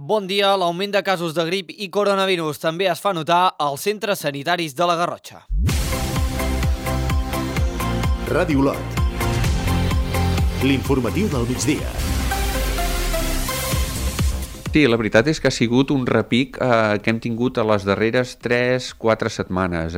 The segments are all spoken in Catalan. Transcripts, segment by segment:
Bon dia. L'augment de casos de grip i coronavirus també es fa notar als centres sanitaris de la Garrotxa. Ràdio Olot. L'informatiu del migdia. Sí, la veritat és que ha sigut un repic que hem tingut a les darreres 3-4 setmanes.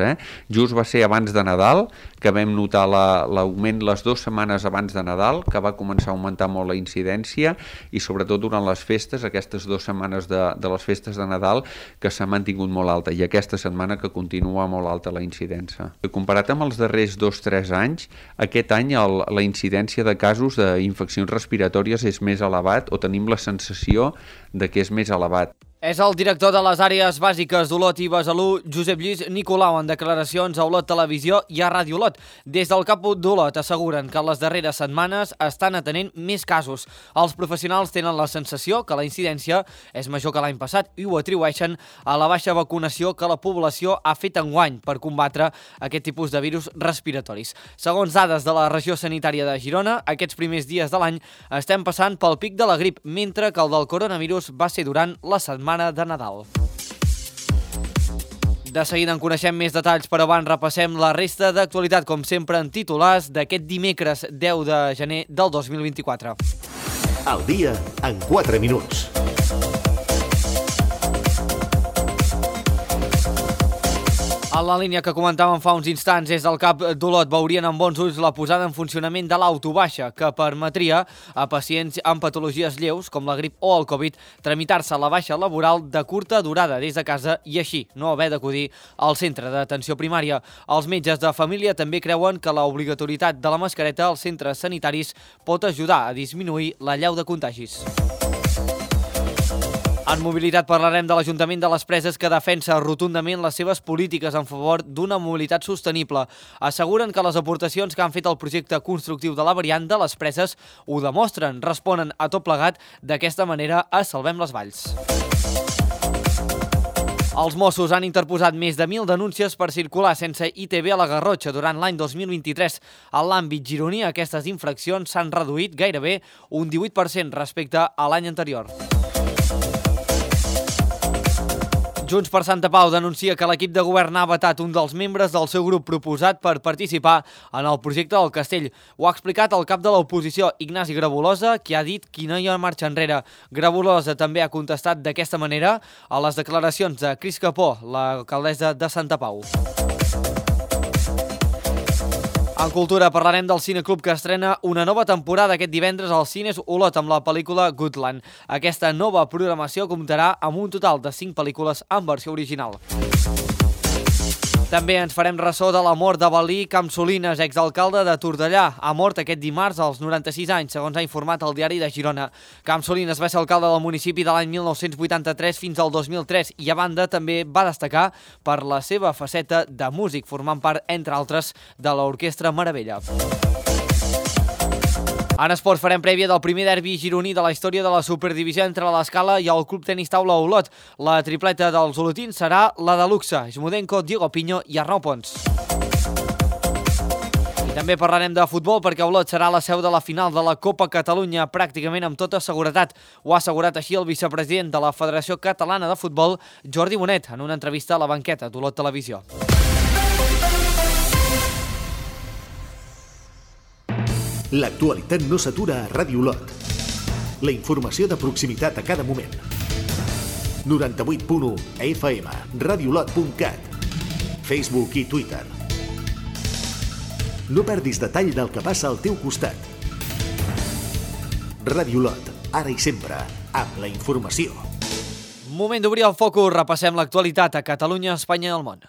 Just va ser abans de Nadal, que vam notar l'augment les 2 setmanes abans de Nadal, que va començar a augmentar molt la incidència, i sobretot durant les festes, aquestes 2 setmanes de les festes de Nadal, que s'ha mantingut molt alta, i aquesta setmana que continua molt alta la incidència. Comparat amb els darrers 2-3 anys, aquest any la incidència de casos d'infeccions respiratòries és més elevat, o tenim la sensació de que és més elevat. És el director de les àrees bàsiques d'Olot i Besalú, Josep Lluís Nicolau, en declaracions a Olot Televisió i a Ràdio Olot. Des del CAP d'Olot asseguren que les darreres setmanes estan atenent més casos. Els professionals tenen la sensació que la incidència és major que l'any passat i ho atribueixen a la baixa vacunació que la població ha fet enguany per combatre aquest tipus de virus respiratoris. Segons dades de la regió sanitària de Girona, aquests primers dies de l'any estem passant pel pic de la grip, mentre que el del coronavirus va ser durant la setmana de Nadal. De seguida en coneixem més detalls, però abans repassem la resta d'actualitat, com sempre en titulars d'aquest dimecres 10 de gener del 2024. El dia en 4 minuts. En la línia que comentàvem fa uns instants, és del CAP d'Olot, veurien amb bons ulls la posada en funcionament de l'autobaixa, que permetria a pacients amb patologies lleus, com la grip o el Covid, tramitar-se la baixa laboral de curta durada des de casa i així no haver d'acudir al centre d'atenció primària. Els metges de família també creuen que l'obligatorietat de la mascareta als centres sanitaris pot ajudar a disminuir l'allau de contagis. En mobilitat parlarem de l'Ajuntament de les Preses, que defensa rotundament les seves polítiques en favor d'una mobilitat sostenible. Asseguren que les aportacions que han fet al projecte constructiu de la variant de les Preses ho demostren, responen a tot plegat d'aquesta manera a Salvem les Valls. Els Mossos han interposat més de 1.000 denúncies per circular sense ITV a la Garrotxa durant l'any 2023. En l'àmbit gironí, aquestes infraccions s'han reduït gairebé un 18% respecte a l'any anterior. Junts per Santa Pau denuncia que l'equip de govern ha vetat un dels membres del seu grup proposat per participar en el projecte del Castell. Ho ha explicat el cap de l'oposició, Ignasi Grabolosa, que ha dit que no hi ha marxa enrere. Grabolosa també ha contestat d'aquesta manera a les declaracions de Cris Capó, l'alcaldessa de Santa Pau. En cultura parlarem del Cineclub, que estrena una nova temporada aquest divendres als cines Olot amb la pel·lícula Goodland. Aquesta nova programació comptarà amb un total de 5 pel·lícules en versió original. També ens farem ressò de la mort de Balí Campsolines, exalcalde de Tortellà. Ha mort aquest dimarts als 96 anys, segons ha informat el diari de Girona. Campsolines va ser alcalde del municipi de l'any 1983 fins al 2003 i a banda també va destacar per la seva faceta de músic, formant part, entre altres, de l'Orquestra Meravella. En esports farem prèvia del primer derbi gironí de la història de la Superdivisió entre l'Escala i el Club Tenis Taula Olot. La tripleta dels olotins serà la de luxe: Smudenko, Diego Piño i Arnau Pons. I també parlarem de futbol, perquè Olot serà la seu de la final de la Copa Catalunya pràcticament amb tota seguretat. Ho ha assegurat així el vicepresident de la Federació Catalana de Futbol, Jordi Bonet, en una entrevista a la banqueta d'Olot Televisió. L'actualitat no s'atura a Ràdio Olot. La informació de proximitat a cada moment. 98.1 FM, radiolot.cat, Facebook i Twitter. No perdis detall del que passa al teu costat. Ràdio Olot, ara i sempre, amb la informació. Moment d'obrir el focus, repassem l'actualitat a Catalunya, Espanya i el món.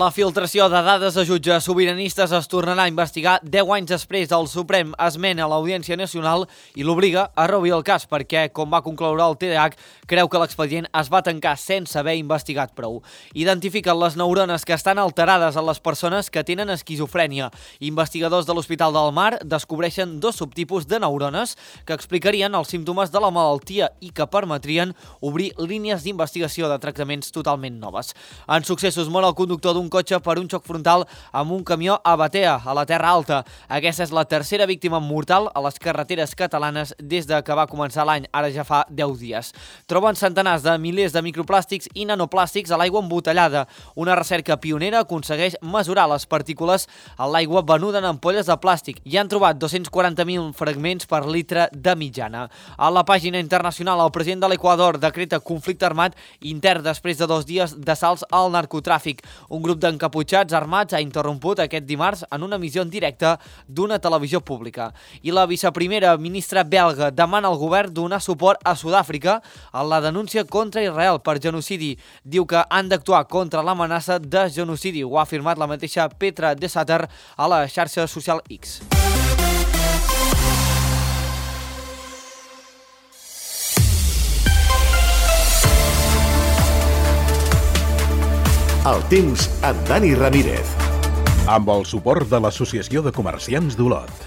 La filtració de dades de jutges sobiranistes es tornarà a investigar 10 anys després. El Suprem esmena l'Audiència Nacional i l'obliga a reobrir el cas perquè, com va concloure el TDH, creu que l'expedient es va tancar sense haver investigat prou. Identifiquen les neurones que estan alterades en les persones que tenen esquizofrènia. Investigadors de l'Hospital del Mar descobreixen 2 subtipus de neurones que explicarien els símptomes de la malaltia i que permetrien obrir línies d'investigació de tractaments totalment noves. En successos, mor el conductor d'un un cotxe per un xoc frontal amb un camió a Batea, a la Terra Alta. Aquesta és la tercera víctima mortal a les carreteres catalanes des de que va començar l'any, ara ja fa 10 dies. Troben centenars de milers de microplàstics i nanoplàstics a l'aigua embotellada. Una recerca pionera aconsegueix mesurar les partícules a l'aigua venuda en ampolles de plàstic i han trobat 240.000 fragments per litre de mitjana. A la pàgina internacional, el president de l'Equador decreta conflicte armat intern després de 2 dies d'assalts al narcotràfic. Un grup d'encaputxats armats ha interromput aquest dimarts en una emissió en directe d'una televisió pública. I la viceprimera ministra belga demana al govern donar suport a Sud-àfrica en la denúncia contra Israel per genocidi. Diu que han d'actuar contra l'amenaça de genocidi. Ho ha afirmat la mateixa Petra de Satter a la xarxa social X. El temps amb Dani Ramírez. Amb el suport de l'Associació de Comerciants d'Olot.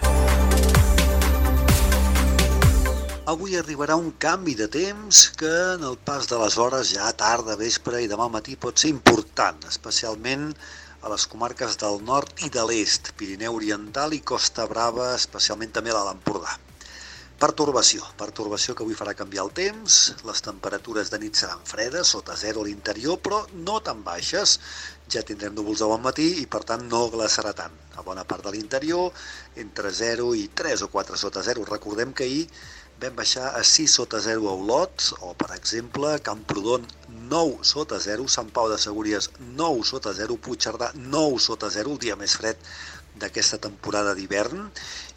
Avui arribarà un canvi de temps que en el pas de les hores, ja tarda, vespre i demà al matí, pot ser important, especialment a les comarques del nord i de l'est, Pirineu Oriental i Costa Brava, especialment també a l'Alt Empordà. Pertorbació que avui farà canviar el temps, les temperatures de nit seran fredes, sota 0 a l'interior, però no tan baixes. Ja tindrem núvols de bon matí i per tant no glaçarà tant. A bona part de l'interior, entre 0 i 3 o 4 sota 0. Recordem que ahir vam baixar a 6 sota 0 a Olot, o per exemple Camprodon 9 sota 0, Sant Pau de Segúries 9 sota 0, Puigcerdà 9 sota 0, el dia més fred d'aquesta temporada d'hivern,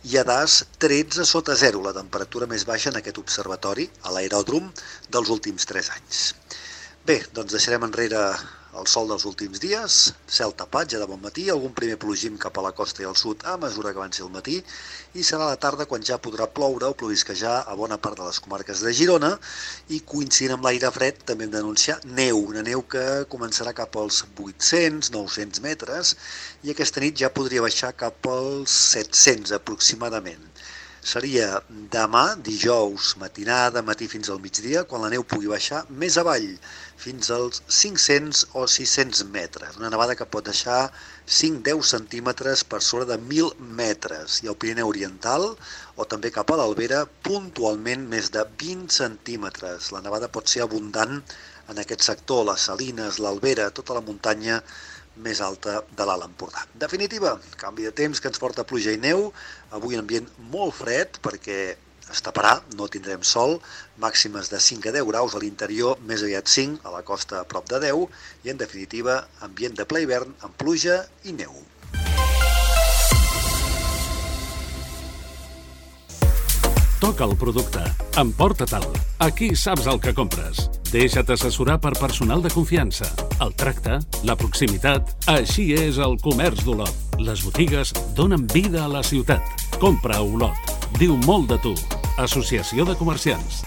i a Das 13 sota 0, la temperatura més baixa en aquest observatori, a l'aeròdrom, dels últims 3 anys. Bé, doncs deixarem enrere el sol dels últims dies, cel tapat ja de bon matí, algun primer plogim cap a la costa i al sud a mesura que avanci el matí, i serà la tarda quan ja podrà ploure o plovisquejar a bona part de les comarques de Girona, i coincidint amb l'aire fred també hem d'anunciar neu, una neu que començarà cap als 800-900 metres, i aquesta nit ja podria baixar cap als 700 aproximadament. Seria demà, dijous, matinada, matí fins al migdia, quan la neu pugui baixar més avall, fins als 500 o 600 metres. Una nevada que pot deixar 5-10 centímetres per sobre de 1.000 metres. I al Pirineu Oriental, o també cap a l'Albera, puntualment més de 20 centímetres. La nevada pot ser abundant en aquest sector, les Salines, l'Albera, tota la muntanya més alta de l'Alt Empordà. En definitiva, canvi de temps que ens porta pluja i neu, avui un ambient molt fred perquè es taparà, no tindrem sol, màximes de 5 a 10 graus a l'interior, més aviat 5, a la costa a prop de 10, i en definitiva, ambient de ple hivern amb pluja i neu. Toca el producte, emporta-te'l. Aquí saps el que compres. Deixa't assessorar per personal de confiança. El tracte, la proximitat, així és el comerç d'Olot. Les botigues donen vida a la ciutat. Compra a Olot. Diu molt de tu. Associació de Comerciants.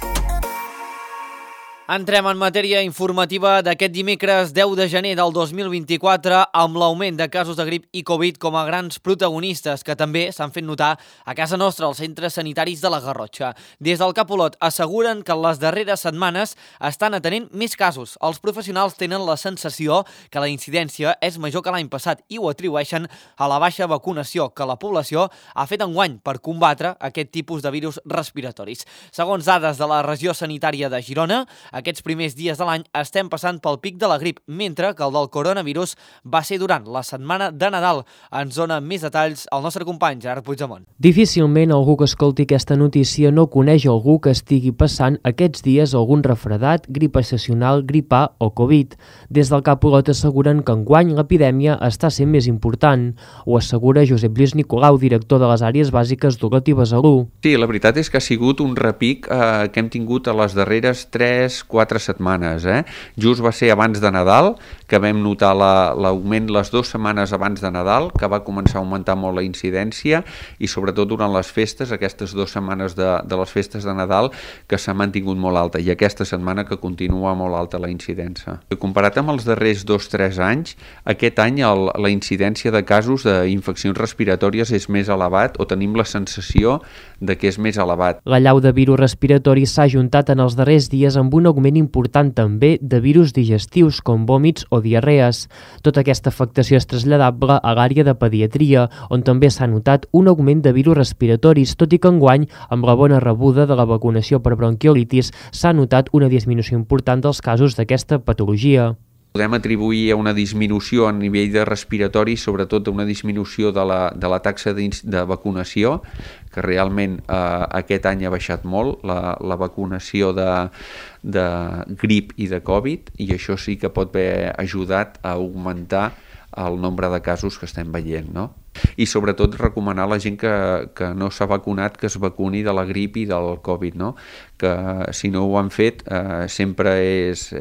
Entrem en matèria informativa d'aquest dimecres 10 de gener del 2024 amb l'augment de casos de grip i Covid com a grans protagonistes que també s'han fet notar a casa nostra als centres sanitaris de la Garrotxa. Des del Cap Olot asseguren que en les darreres setmanes estan atenent més casos. Els professionals tenen la sensació que la incidència és major que l'any passat i ho atribueixen a la baixa vacunació que la població ha fet enguany per combatre aquest tipus de virus respiratoris. Segons dades de la regió sanitària de Girona, aquests primers dies de l'any estem passant pel pic de la grip, mentre que el del coronavirus va ser durant la setmana de Nadal. Ens dona més detalls el nostre company Gerard Puigdemont. Difícilment algú que escolti aquesta notícia no coneix algú que estigui passant aquests dies algun refredat, grip estacional, grip A o Covid. Des del Cap Olot asseguren que enguany l'epidèmia està sent més important. Ho assegura Josep Lluís Nicolau, director de les àrees bàsiques d'Olot i Besalú. Sí, la veritat és que ha sigut un repic que hem tingut a les darreres 3-4 setmanes. Just va ser abans de Nadal, que vam notar l'augment les 2 setmanes abans de Nadal, que va començar a augmentar molt la incidència, i sobretot durant les festes, aquestes 2 setmanes de les festes de Nadal, que s'ha mantingut molt alta, i aquesta setmana que continua molt alta la incidència. Comparat amb els darrers 2-3 anys, aquest any la incidència de casos d'infeccions respiratòries és més elevat, o tenim la sensació de que és més elevat. L'allau de virus respiratori s'ha ajuntat en els darrers dies amb un augment augment important també de virus digestius com vòmits o diarrees. Tota aquesta afectació és traslladable a l'àrea de pediatria, on també s'ha notat un augment de virus respiratoris, tot i que enguany, amb la bona rebuda de la vacunació per bronquiolitis, s'ha notat una disminució important dels casos d'aquesta patologia. Podem atribuir a una disminució a nivell de respiratori, sobretot a una disminució de la taxa de vacunació, que realment aquest any ha baixat molt, la vacunació de grip i de Covid, i això sí que pot haver ajudat a augmentar el nombre de casos que estem veient, no? I sobretot recomanar a la gent que no s'ha vacunat que es vacuni de la grip i del Covid, no? Que si no ho han fet sempre és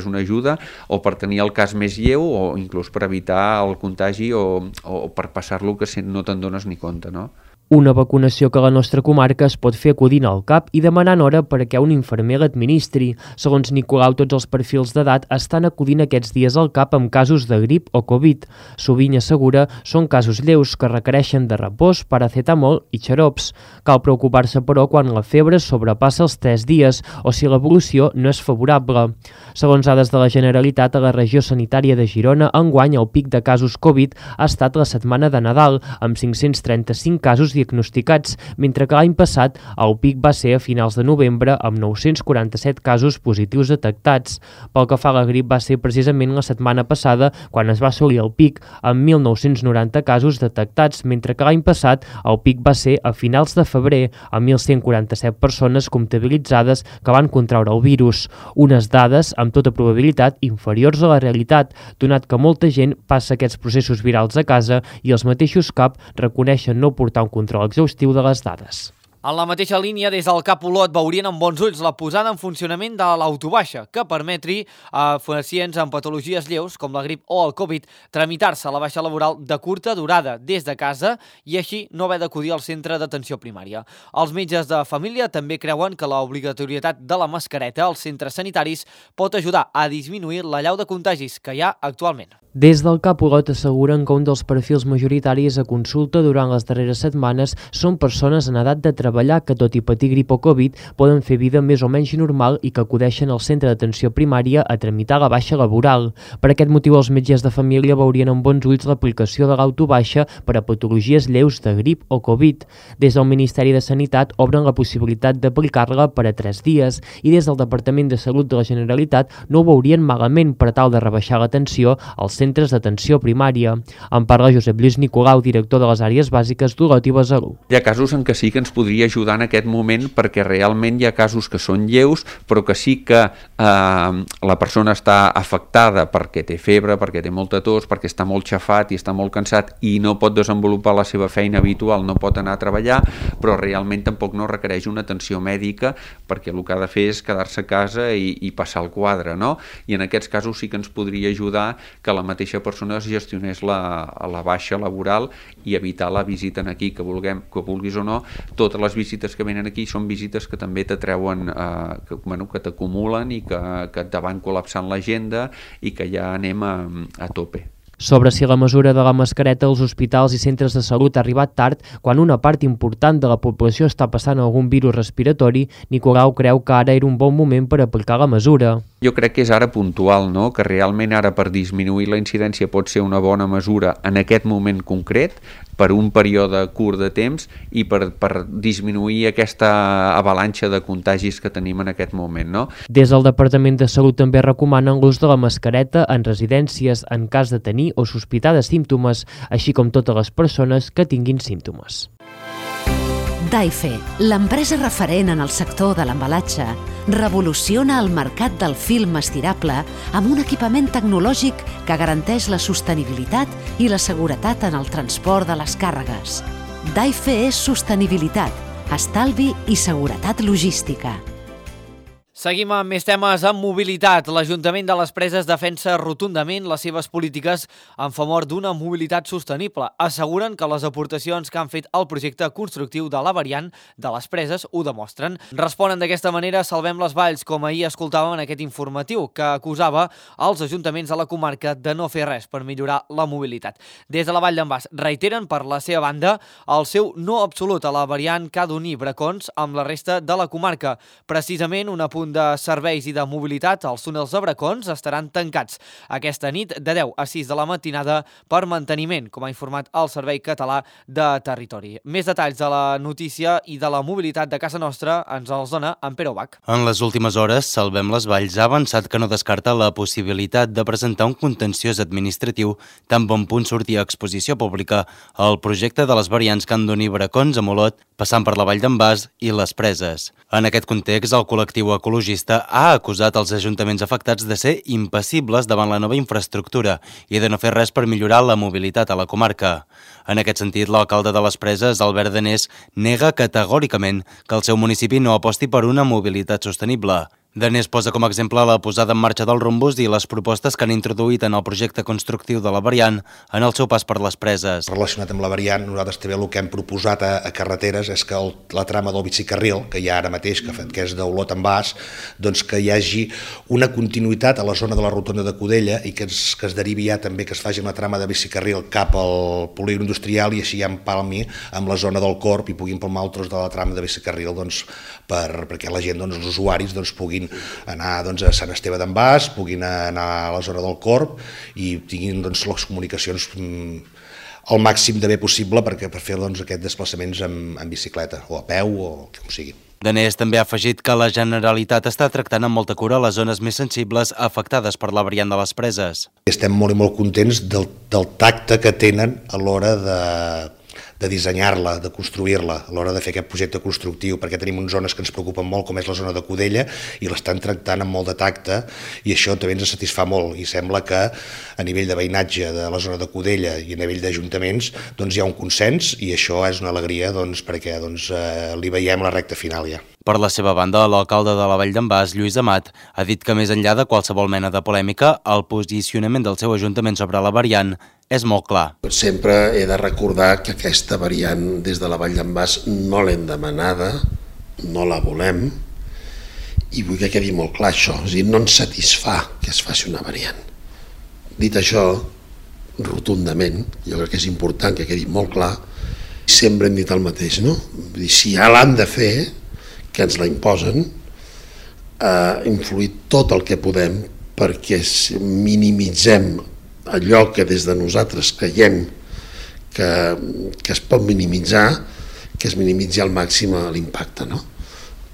una ajuda, o per tenir el cas més lleu o inclús per evitar el contagi o per passar-lo que no te'n dones ni compte, no? Una vacunació que a la nostra comarca es pot fer acudint al CAP i demanant hora perquè un infermer l'administri. Segons Nicolau, tots els perfils d'edat estan acudint aquests dies al CAP amb casos de grip o Covid. Sovint, assegura, són casos lleus que requereixen de repòs, paracetamol i xarops. Cal preocupar-se, però, quan la febre sobrepassa els 3 dies o si l'evolució no és favorable. Segons dades de la Generalitat, a la regió sanitària de Girona, enguany el pic de casos Covid ha estat la setmana de Nadal, amb 535 casos diagnosticats, mentre que l'any passat el pic va ser a finals de novembre amb 947 casos positius detectats. Pel que fa a la grip, va ser precisament la setmana passada quan es va assolir el pic amb 1.990 casos detectats, mentre que l'any passat el pic va ser a finals de febrer amb 1.147 persones comptabilitzades que van contraure el virus. Unes dades, amb tota probabilitat, inferiors a la realitat, donat que molta gent passa aquests processos virals a casa i els mateixos CAP reconeixen no portar un control exhaustiu de les dades. En la mateixa línia, des del CAP Olot veurien amb bons ulls la posada en funcionament de l'autobaixa, que permetri a pacients amb patologies lleus, com la grip o el Covid, tramitar-se a la baixa laboral de curta durada des de casa i així no haver d'acudir al centre d'atenció primària. Els metges de família també creuen que l'obligatorietat de la mascareta als centres sanitaris pot ajudar a disminuir la llau de contagis que hi ha actualment. Des del CAP Olot asseguren que un dels perfils majoritaris a consulta durant les darreres setmanes són persones en edat de treballar que, tot i patir grip o Covid, poden fer vida més o menys normal i que acudeixen al centre d'atenció primària a tramitar la baixa laboral. Per aquest motiu, els metges de família veurien amb bons ulls l'aplicació de l'autobaixa per a patologies lleus de grip o Covid. Des del Ministeri de Sanitat obren la possibilitat d'aplicar-la per a 3 dies i des del Departament de Salut de la Generalitat no ho veurien malament per tal de rebaixar l'atenció als centres d'atenció primària. En parla Josep Lluís Nicolau, director de les àrees bàsiques d'Olot i Besalú. Hi ha casos en què sí que ens podria ajudar en aquest moment perquè realment hi ha casos que són lleus però que sí que la persona està afectada perquè té febre, perquè té molta tos, perquè està molt xafat i està molt cansat i no pot desenvolupar la seva feina habitual, no pot anar a treballar, però realment tampoc no requereix una atenció mèdica perquè el que ha de fer és quedar-se a casa i passar el quadre, no? I en aquests casos sí que ens podria ajudar que la mateixa persona es gestionés la baixa laboral i evitar la visita aquí, que vulguis o no. Totes les visites que venen aquí són visites que també t'atreuen, que t'acumulen i que te van col·lapsant l'agenda i que ja anem a tope. Sobre si la mesura de la mascareta als hospitals i centres de salut ha arribat tard, quan una part important de la població està passant algun virus respiratori, Nicolau creu que ara era un bon moment per aplicar la mesura. Jo crec que és ara puntual, no? Que realment ara per disminuir la incidència pot ser una bona mesura en aquest moment concret, per un període curt de temps i per disminuir aquesta avalanxa de contagis que tenim en aquest moment, no? Des del Departament de Salut també recomanen l'ús de la mascareta en residències en cas de tenir o sospitar de símptomes, així com totes les persones que tinguin símptomes. Daife, l'empresa referent en el sector de l'embalatge, revoluciona el mercat del film estirable amb un equipament tecnològic que garanteix la sostenibilitat i la seguretat en el transport de les càrregues. Daife és sostenibilitat, estalvi i seguretat logística. Seguim amb més temes en mobilitat. L'Ajuntament de les Preses defensa rotundament les seves polítiques en favor d'una mobilitat sostenible. Asseguren que les aportacions que han fet al projecte constructiu de la variant de les Preses ho demostren. Responen d'aquesta manera Salvem les Valls, com ahir escoltàvem en aquest informatiu, que acusava els ajuntaments de la comarca de no fer res per millorar la mobilitat. Des de la Vall d'en Bas reiteren per la seva banda el seu no absolut a la variant que ha d'unir Bracons amb la resta de la comarca. Precisament un apunt conjunt de serveis i de mobilitat, els túnels de Bracons, estaran tancats aquesta nit de 10 a 6 de la matinada per manteniment, com ha informat el Servei Català de Territori. Més detalls de la notícia i de la mobilitat de casa nostra ens els dona en Pere Ubach. En les últimes hores, Salvem les Valls ha avançat que no descarta la possibilitat de presentar un contenciós administratiu tan bon punt sortir a exposició pública el projecte de les variants que han d'unir Bracons a Olot, passant per la Vall d'en Bas i les Preses. En aquest context, el col·lectiu ecologista ha acusat els ajuntaments afectats de ser impassibles davant la nova infraestructura i de no fer res per millorar la mobilitat a la comarca. En aquest sentit, l'alcalde de les Preses, Albert Danés, nega categòricament que el seu municipi no aposti per una mobilitat sostenible. Danés posa com a exemple la posada en marxa del rombús i les propostes que han introduït en el projecte constructiu de la variant en el seu pas per les Preses. Relacionat amb la variant, nosaltres també el que hem proposat a carreteres és que la trama del bicicarril, que hi ha ara mateix, que és d'Olot en Bas, doncs que hi hagi una continuïtat a la zona de la rotonda de Codella i que es derivi ja també que es faci una trama de bicicarril cap al polígon industrial i així ja empalmi amb la zona del Corp i puguin palmar el tros de la trama de bicicarril doncs, perquè la gent, els usuaris, puguin anar a Sant Esteve d'en Bas, puguin anar a la zona del Corp i tinguin les comunicacions al màxim de bé possible per fer aquests desplaçaments en bicicleta o a peu o com sigui. Danés també ha afegit que la Generalitat està tractant amb molta cura les zones més sensibles afectades per la variant de les Preses. Estem molt i molt contents del tacte que tenen a l'hora de dissenyar-la, de construir-la, a l'hora de fer aquest projecte constructiu, perquè tenim unes zones que ens preocupen molt, com és la zona de Codella, i l'estan tractant amb molt de tacte, i això també ens satisfà molt, i sembla que a nivell de veïnatge de la zona de Codella i a nivell d'ajuntaments hi ha un consens, i això és una alegria perquè li veiem la recta final ja. Per la seva banda, l'alcalde de la Vall d'en Bas, Lluís Amat, ha dit que més enllà de qualsevol mena de polèmica, el posicionament del seu ajuntament sobre la variant és molt clar. Sempre he de recordar que aquesta variant des de la Vall d'en Bas no l'hem demanada, no la volem, i vull que quedi molt clar això, és a dir, no ens satisfà que es faci una variant. Dit això, rotundament, jo crec que és important que quedi molt clar, sempre hem dit el mateix, no? Vull dir, si ja l'han de fer, que ens la imposen, influir tot el que podem perquè minimitzem allò que des de nosaltres creiem que es pot minimitzar, que es minimitzi al màxim l'impacte, no?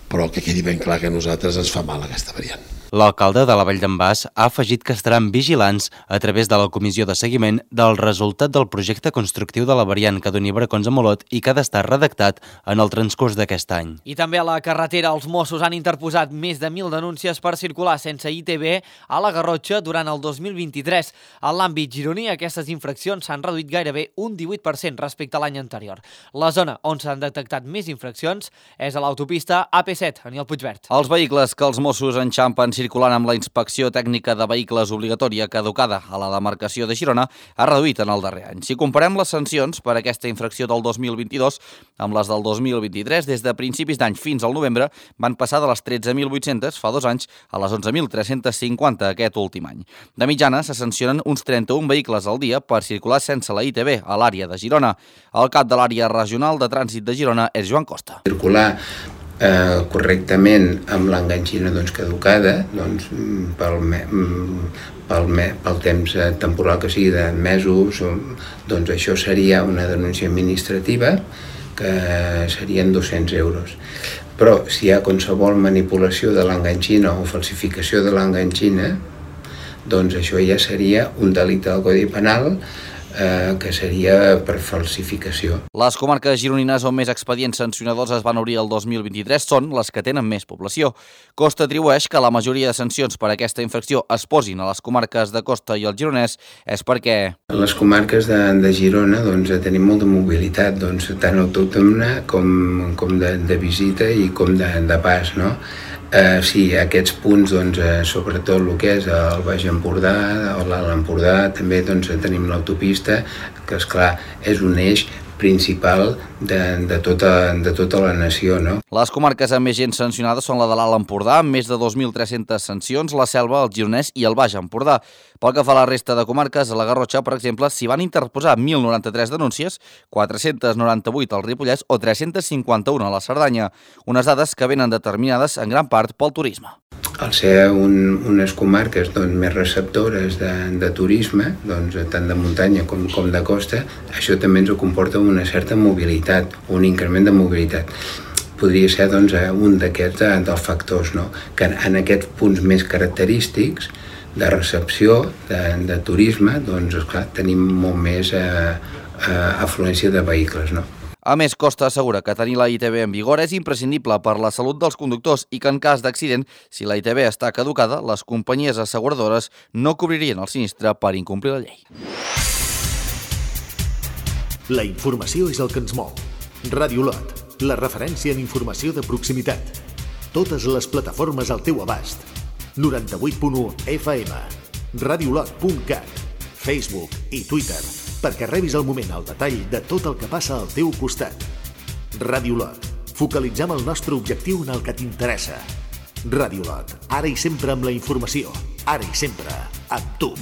Però que quedi ben clar que a nosaltres ens fa mal aquesta variant. L'alcalde de la Vall d'en Bas ha afegit que estaran vigilants a través de la comissió de seguiment del resultat del projecte constructiu de la variant que doni Bracons a Olot i que ha d'estar redactat en el transcurs d'aquest any. I també a la carretera els Mossos han interposat més de 1.000 denúncies per circular sense ITV a la Garrotxa durant el 2023. En l'àmbit gironí, aquestes infraccions s'han reduït gairebé un 18% respecte a l'any anterior. La zona on s'han detectat més infraccions és a l'autopista AP7, Aniol Puigverd. Els vehicles que els Mossos enxampen circulant amb la inspecció tècnica de vehicles obligatòria caducada a la demarcació de Girona ha reduït en el darrer any. Si comparem les sancions per aquesta infracció del 2022 amb les del 2023, des de principis d'any fins al novembre van passar de les 13.800 fa 2 anys a les 11.350 aquest últim any. De mitjana se sancionen uns 31 vehicles al dia per circular sense la ITV a l'àrea de Girona. El cap de l'àrea regional de trànsit de Girona és Joan Costa. Circular correctament amb l'enganxina caducada pel temps temporal que sigui de mesos, doncs això seria una denúncia administrativa que serien 200 euros. Però si hi ha qualsevol manipulació de l'enganxina o falsificació de l'enganxina, doncs això ja seria un delicte del Codi Penal que seria per falsificació. Les comarques gironines on més expedients sancionadors es van obrir el 2023 són les que tenen més població. Costa atribueix que la majoria de sancions per aquesta infracció es posin a les comarques de Costa i el Gironès és perquè... A les comarques de Girona tenim molta mobilitat, tant autòctona com de visita i com de pas, no? Sí, aquests punts, sobretot el que és el Baix Empordà o l'Alt Empordà, també tenim l'autopista, que esclar és un eix principal de tota la nació, no? Les comarques amb més gent sancionada són la de l'Alt Empordà, amb més de 2.300 sancions, la Selva, el Gironès i el Baix Empordà. Pel que fa a la resta de comarques, a la Garrotxa, per exemple, s'hi van interposar 1.093 denúncies, 498 al Ripollès o 351 a la Cerdanya, unes dades que venen determinades en gran part pel turisme. al ser unes comarques més receptores de turisme, tant de muntanya com de costa, això també ens comporta una certa mobilitat, un increment de mobilitat. Podria ser un d'aquests dels factors, no? Que en aquests punts més característics de recepció, de turisme, esclar, tenim molt més afluència de vehicles, no? A més, Costa assegura que tenir la ITB en vigor és imprescindible per la salut dels conductors i que en cas d'accident, si la ITB està caducada, les companyies asseguradores no cobririen el sinistre per incomplir la llei. La informació és el que ens mou. Ràdio Lot, la referència en informació de proximitat. Totes les plataformes al teu abast. 98.1 FM, radiolot.cat, Facebook i Twitter, perquè rebis al moment el detall de tot el que passa al teu costat. Ràdio Lot. Focalitzem el nostre objectiu en el que t'interessa. Ràdio Lot. Ara i sempre amb la informació. Ara i sempre amb tu.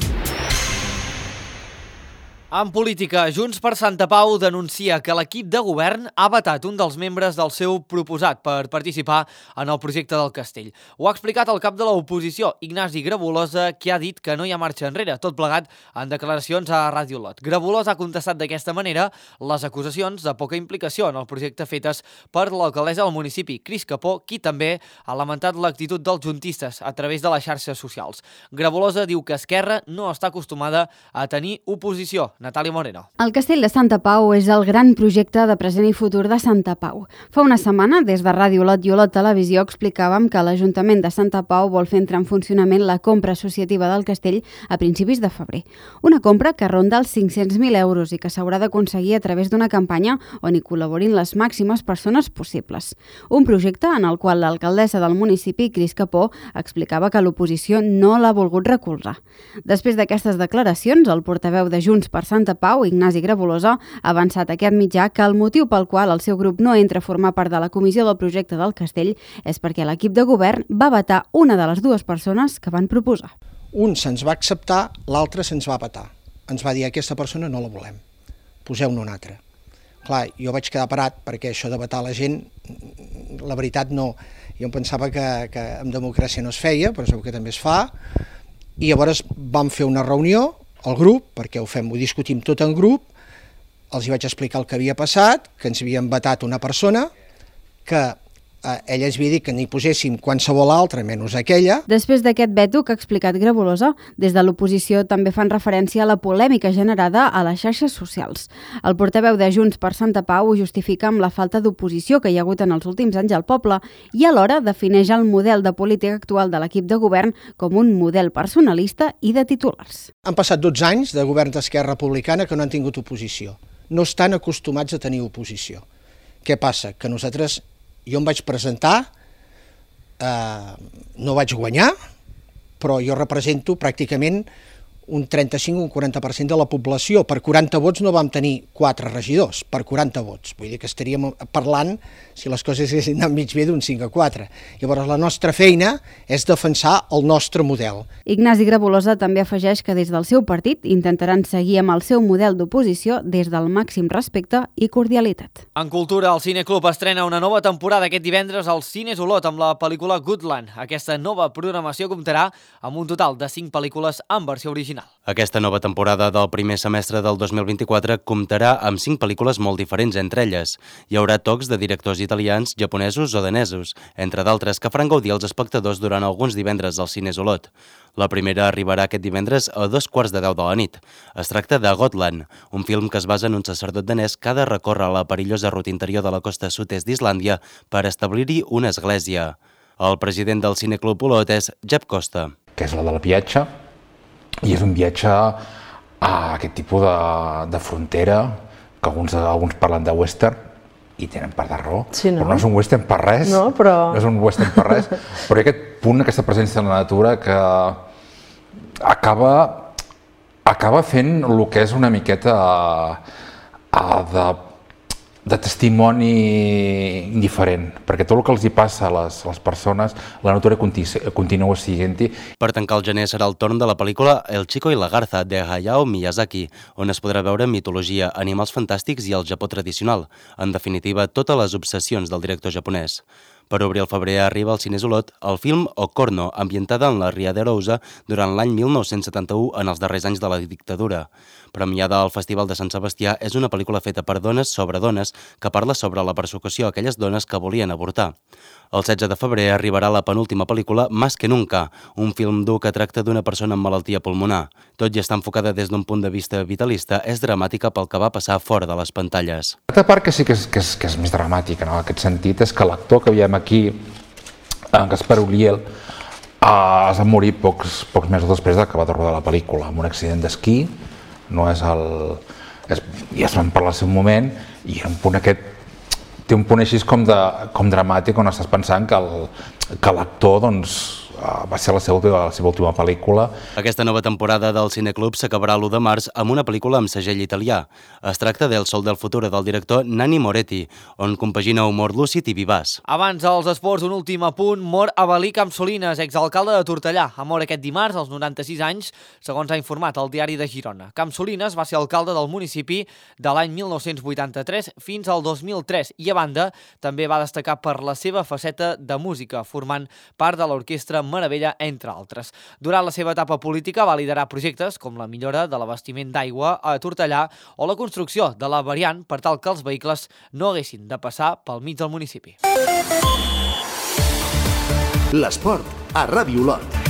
En política, Junts per Santa Pau denuncia que l'equip de govern ha vetat un dels membres del seu proposat per participar en el projecte del castell. Ho ha explicat el cap de l'oposició, Ignasi Grabolosa, que ha dit que no hi ha marxa enrere, tot plegat en declaracions a Ràdio Lot. Grabolosa ha contestat d'aquesta manera les acusacions de poca implicació en el projecte fetes per l'alcaldessa del municipi, Cris Capó, qui també ha lamentat l'actitud dels juntistes a través de les xarxes socials. Grabolosa diu que Esquerra no està acostumada a tenir oposició. Natàlia Moreno. El Castell de Santa Pau és el gran projecte de present i futur de Santa Pau. Fa una setmana, des de Ràdio Lot i Olot Televisió, explicàvem que l'Ajuntament de Santa Pau vol fer entrar en funcionament la compra associativa del castell a principis de febrer. Una compra que ronda els 500.000 euros i que s'haurà d'aconseguir a través d'una campanya on hi col·laborin les màximes persones possibles. Un projecte en el qual l'alcaldessa del municipi, Cris Capó, explicava que l'oposició no l'ha volgut recolzar. Després d'aquestes declaracions, el portaveu de Junts per Santa Pau, Ignasi Grabolosa, ha avançat aquest mitjà que el motiu pel qual el seu grup no entra a formar part de la comissió del projecte del castell és perquè l'equip de govern va vetar una de les dues persones que van proposar. Un se'ns va acceptar, l'altre se'ns va vetar. Ens va dir, aquesta persona no la volem, poseu-ne una altra. Clar, jo vaig quedar parat perquè això de vetar la gent, la veritat no. Jo em pensava que en democràcia no es feia, però segur que també es fa. I llavors vam fer una reunió al grup, perquè ho discutim tot en grup, els hi vaig explicar el que havia passat, que ens havien vetat una persona, que ella ens havia dit que n'hi poséssim qualsevol altra, menys aquella. Després d'aquest veto que ha explicat Grabolosa, des de l'oposició també fan referència a la polèmica generada a les xarxes socials. El portaveu de Junts per Santa Pau ho justifica amb la falta d'oposició que hi ha hagut en els últims anys al poble i alhora defineix el model de política actual de l'equip de govern com un model personalista i de titulars. Han passat 12 anys de govern d'Esquerra Republicana que no han tingut oposició. No estan acostumats a tenir oposició. Què passa? Que nosaltres... Jo em vaig presentar, no vaig guanyar, però jo represento pràcticament un 35 o un 40% de la població. Per 40 vots no vam tenir 4 regidors, per 40 vots. Vull dir que estaríem parlant, si les coses haguessin anat mig bé, d'un 5 a 4. Llavors la nostra feina és defensar el nostre model. Ignasi Grabolosa també afegeix que des del seu partit intentaran seguir amb el seu model d'oposició des del màxim respecte i cordialitat. En cultura, el Cineclub estrena una nova temporada aquest divendres als Cines Olot amb la pel·lícula Goodland. Aquesta nova programació comptarà amb un total de 5 pel·lícules en versió original. Aquesta nova temporada del primer semestre del 2024 comptarà amb 5 pel·lícules molt diferents entre elles. Hi haurà tocs de directors italians, japonesos o danesos, entre d'altres que faran gaudir els espectadors durant alguns divendres als Cines Olot. La primera arribarà aquest divendres a 2:15 de la nit. Es tracta de Gotland, un film que es basa en un sacerdot danès que ha de recórrer la perillosa ruta interior de la costa sud-est d'Islàndia per establir-hi una església. El president del Cineclub Olot és Jep Costa. Que és la del viatge, i és un viatge a aquest tipus de frontera, que alguns parlen de western, i tenen part de raó, sí, no? Però no és un western per res, no és un western per res, però hi ha aquest punt, aquesta presència en la natura que acaba fent el que és una miqueta de testimoni indiferent, perquè tot el que els hi passa a les persones, la natura continua siguent-hi. Per tancar el gener serà el torn de la pel·lícula El Chico y la Garza, de Hayao Miyazaki, on es podrà veure mitologia, animals fantàstics i el Japó tradicional, en definitiva, totes les obsessions del director japonès. Per obrir el febrer arriba al Cines Olot el film Ocorno, ambientada en la Ria de Arousa durant l'any 1971 en els darrers anys de la dictadura. Premiada al Festival de Sant Sebastià, és una pel·lícula feta per dones sobre dones que parla sobre la persecució a aquelles dones que volien avortar. El 16 de febrer arribarà la penúltima pel·lícula Más que Nunca, un film dur que tracta d'una persona amb malaltia pulmonar. Tot i estar enfocada des d'un punt de vista vitalista, és dramàtica pel que va passar fora de les pantalles. L'altra part que sí que és més dramàtica, en aquest sentit, és que l'actor que veiem aquí, en Gaspar Ulliel, es va morir pocs mesos després d'acabar de rodar la pel·lícula, amb un accident d'esquí. No és el... Ja es van parlar al seu moment, i era un punt aquest... Té un punt així com dramàtic, on estàs pensant que l'actor, doncs, va ser la seva última pel·lícula. Aquesta nova temporada del Cineclub s'acabarà l'1 de març amb una pel·lícula amb segell italià. Es tracta del Sol del Futur del director Nanni Moretti, on compagina humor lúcid i vivaç. Abans dels esports, un últim apunt. Mor Avelí Campsolines, exalcalde de Tortellà. Ha mort aquest dimarts, als 96 anys, segons ha informat el diari de Girona. Campsolines va ser alcalde del municipi de l'any 1983 fins al 2003 i, a banda, també va destacar per la seva faceta de música, formant part de l'orquestra Meravella, entre altres. Durant la seva etapa política va liderar projectes com la millora de l'abastiment d'aigua a Tortellà o la construcció de la variant per tal que els vehicles no haguessin de passar pel mig del municipi. L'esport a Ràdio Olot.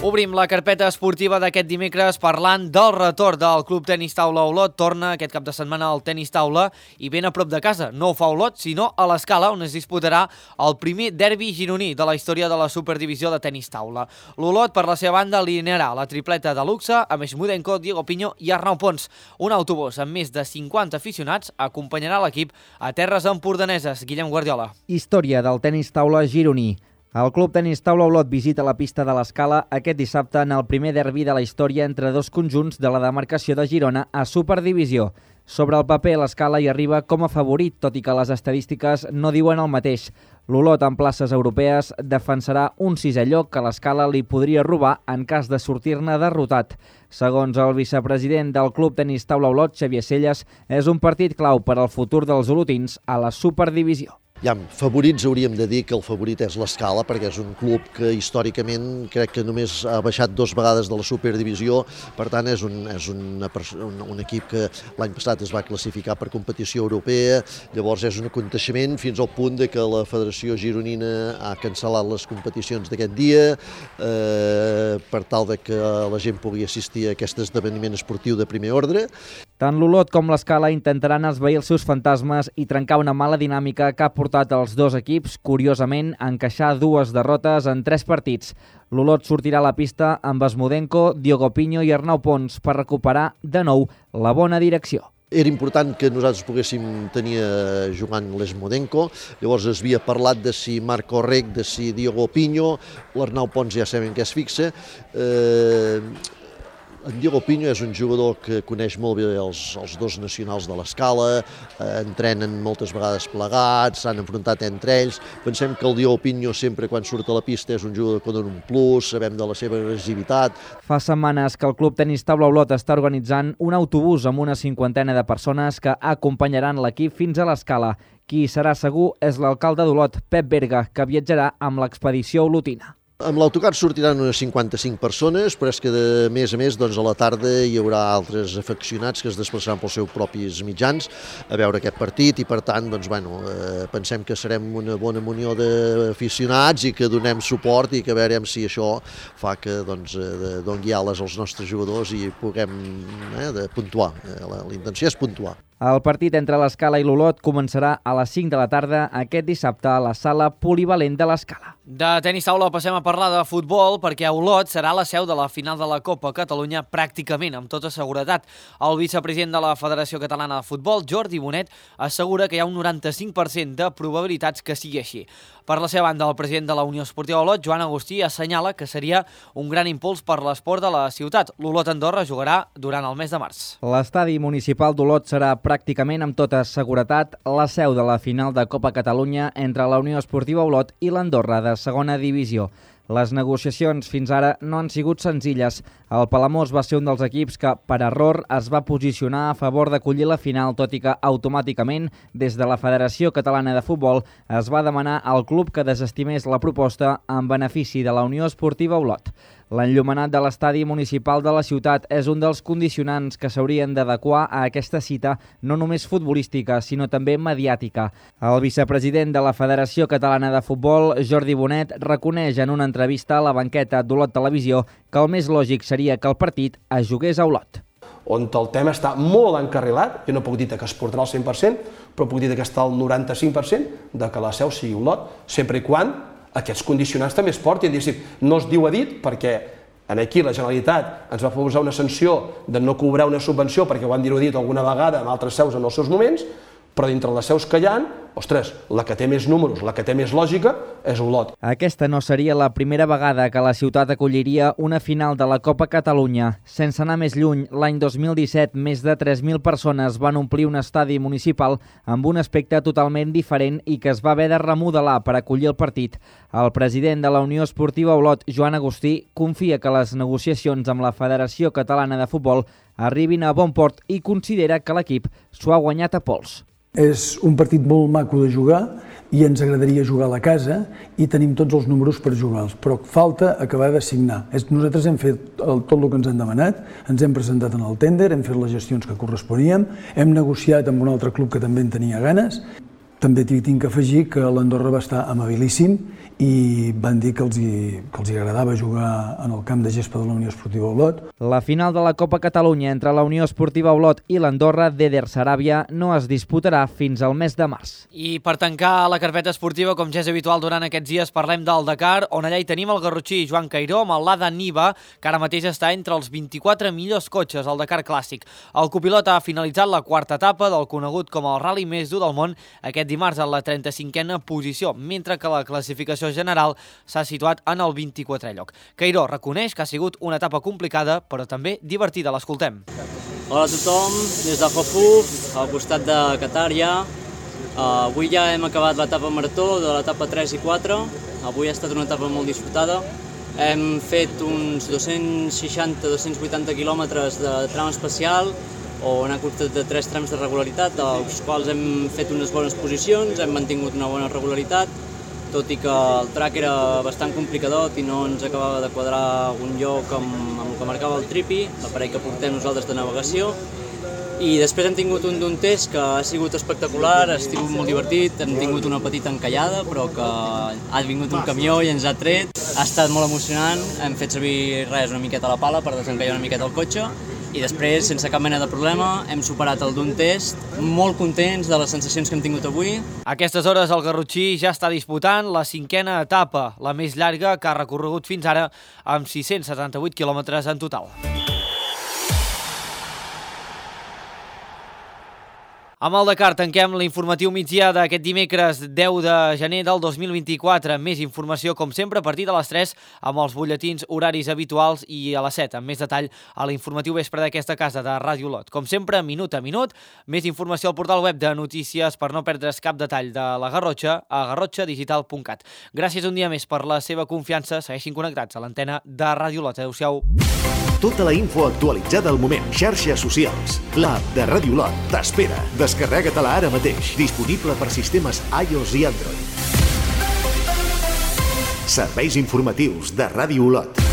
Obrim la carpeta esportiva d'aquest dimecres parlant del retorn del Club Tenis Taula Olot. Torna aquest cap de setmana al Tenis Taula i ben a prop de casa. No ho fa Olot, sinó a l'Escala, on es disputarà el primer derbi gironí de la història de la Superdivisió de Tenis Taula. L'Olot, per la seva banda, alinearà la tripleta de luxe amb Mudenko, Diego Piño i Arnau Pons. Un autobús amb més de 50 aficionats acompanyarà l'equip a terres empordaneses. Guillem Guardiola. Història del Tenis Taula gironí. El Club Tenis Taula Olot visita la pista de l'Escala aquest dissabte en el primer derbi de la història entre dos conjunts de la demarcació de Girona a Superdivisió. Sobre el paper, l'Escala hi arriba com a favorit, tot i que les estadístiques no diuen el mateix. L'Olot, en places europees, defensarà un sisè lloc que l'Escala li podria robar en cas de sortir-ne derrotat. Segons el vicepresident del Club Tenis Taula Olot, Xavier Celles, és un partit clau per al futur dels olotins a la Superdivisió. Favorits hauríem de dir que el favorit és l'Escala, perquè és un club que històricament crec que només ha baixat 2 vegades de la Superdivisió, per tant és un equip que l'any passat es va classificar per competició europea, llavors és un aconteixement fins al punt de que la Federació Gironina ha cancel·lat les competicions d'aquest dia per tal de que la gent pugui assistir a aquest esdeveniment esportiu de primer ordre. Tant l'Olot com l'Escala intentaran esvair els seus fantasmes i trencar una mala dinàmica que ha portat els dos equips, curiosament, a encaixar 2 derrotes en 3 partits. L'Olot sortirà a la pista amb Mudenko, Diego Piño i Arnau Pons per recuperar de nou la bona direcció. Era important que nosaltres poguéssim tenir jugant Mudenko, llavors es havia parlat de si Marco Rec, de si Diego Piño, l'Arnau Pons ja sabem que es fixa. En Diego Piño és un jugador que coneix molt bé els dos nacionals de l'Escala, entrenen moltes vegades plegats, s'han enfrontat entre ells. Pensem que el Diego Piño sempre quan surt a la pista és un jugador que dona un plus, sabem de la seva agressivitat. Fa setmanes que el Club Tenis Taula Olot està organitzant un autobús amb una 50ena de persones que acompanyaran l'equip fins a l'Escala. Qui serà segur és l'alcalde d'Olot, Pep Berga, que viatjarà amb l'expedició olotina. Amb l'autocar sortiran unes 55 persones, però és que a més a la tarda hi haurà altres afeccionats que es desplaçaran pels seus propis mitjans a veure aquest partit i per tant pensem que serem una bona munió d'aficionats i que donem suport i que veurem si això fa que doni ales als nostres jugadors i puguem puntuar. La intenció és puntuar. El partit entre l'Escala i l'Olot començarà a les 5 de la tarda aquest dissabte a la sala polivalent de l'Escala. De tenis taula passem a parlar de futbol perquè Olot serà la seu de la final de la Copa Catalunya pràcticament, amb tota seguretat. El vicepresident de la Federació Catalana de Futbol, Jordi Bonet, assegura que hi ha un 95% de probabilitats que sigui així. Per la seva banda, el president de la Unió Esportiva Olot, Joan Agustí, assenyala que seria un gran impuls per l'esport de la ciutat. L'Olot Andorra jugarà durant el mes de març. L'estadi municipal d'Olot serà pràcticament amb tota seguretat la seu de la final de Copa Catalunya entre la Unió Esportiva Olot i l'Andorra de segona divisió. Les negociacions fins ara no han sigut senzilles. El Palamós va ser un dels equips que, per error, es va posicionar a favor d'acollir la final, tot i que automàticament, des de la Federació Catalana de Futbol, es va demanar al club que desestimés la proposta en benefici de la Unió Esportiva Olot. L'enllumenat de l'estadi municipal de la ciutat és un dels condicionants que s'haurien d'adequar a aquesta cita no només futbolística, sinó també mediàtica. El vicepresident de la Federació Catalana de Futbol, Jordi Bonet, reconeix en una entrevista a la banqueta d'Olot Televisió que el més lògic seria que el partit es jugués a Olot. On el tema està molt encarrilat, jo no puc dir que es portarà al 100%, però puc dir que està al 95% de que la seu sigui Olot, sempre i quan aquests condicionants també es portin. No es diu a dit perquè aquí la Generalitat ens va posar una sanció de no cobrar una subvenció perquè ho han dit alguna vegada amb altres seus en els seus moments, però dintre les seus que hi ha, ostres, la que té més números, la que té més lògica és Olot. Aquesta no seria la primera vegada que la ciutat acolliria una final de la Copa Catalunya. Sense anar més lluny, l'any 2017 més de 3.000 persones van omplir un estadi municipal amb un aspecte totalment diferent i que es va haver de remodelar per acollir el partit. El president de la Unió Esportiva Olot, Joan Agustí, confia que les negociacions amb la Federació Catalana de Futbol arribin a bon port i considera que l'equip s'ho ha guanyat a pols. És un partit molt maco de jugar i ens agradaria jugar a la casa i tenim tots els números per jugar-los, però falta acabar de signar. Nosaltres hem fet tot el que ens han demanat, ens hem presentat en el tènder, hem fet les gestions que corresponíem, hem negociat amb un altre club que també en tenia ganes. També tinc que afegir que l'Andorra va estar amabilíssim i van dir que els hi agradava jugar en el camp de gespa de la Unió Esportiva Olot. La final de la Copa Catalunya entre la Unió Esportiva Olot i l'Andorra d'Eder Saràbia no es disputarà fins al mes de març. I per tancar la carpeta esportiva, com ja és habitual durant aquests dies, parlem del Dakar, on allà hi tenim el garrotxí Joan Cairó amb el Lada Niva, que ara mateix està entre els 24 millors cotxes al Dakar Clàssic. El copilot ha finalitzat la quarta etapa del conegut com el rally més dur del món aquest dimarts en la 35a posició, mentre que la classificació general s'ha situat en el 24è lloc. Cairó reconeix que ha sigut una etapa complicada, però també divertida. L'escoltem. Hola a tothom, des de Hofu, al costat de Qatar ja. Avui ja hem acabat l'etapa marató de l'etapa 3 i 4. Avui ha estat una etapa molt disfrutada. Hem fet uns 260-280 quilòmetres de tram especial, on ha costat de 3 trams de regularitat, dels quals hem fet unes bones posicions, hem mantingut una bona regularitat, tot i que el track era bastant complicadot i no ens acabava de quadrar un lloc amb el que marcava el tripi, l'aparell que portem nosaltres de navegació. I després hem tingut un d'un test que ha sigut espectacular, ha sigut molt divertit, hem tingut una petita encallada, però que ha vingut un camió i ens ha tret. Ha estat molt emocionant, hem fet servir una miqueta la pala per desencallar una miqueta el cotxe, i després, sense cap mena de problema, hem superat el d'un test, molt contents de les sensacions que hem tingut avui. A aquestes hores el garrotxí ja està disputant la 5a etapa, la més llarga que ha recorregut fins ara, amb 678 quilòmetres en total. Amb el Dakar tanquem l'informatiu migdia d'aquest dimecres 10 de gener del 2024. Més informació, com sempre, a partir de les 3 amb els butlletins horaris habituals i a les 7, amb més detall, a l'informatiu vespre d'aquesta casa de Ràdio Olot. Com sempre, minut a minut, més informació al portal web de notícies per no perdre's cap detall de la Garrotxa a garrotxadigital.cat. Gràcies un dia més per la seva confiança. Segueixin connectats a l'antena de Ràdio Olot. Adéu-siau. Tota la info actualitzada al moment. Xarxes socials. L'app de Ràdio Olot t'espera. Descarrega-te-la ara mateix. Disponible per sistemes iOS i Android. Serveis informatius de Ràdio Olot.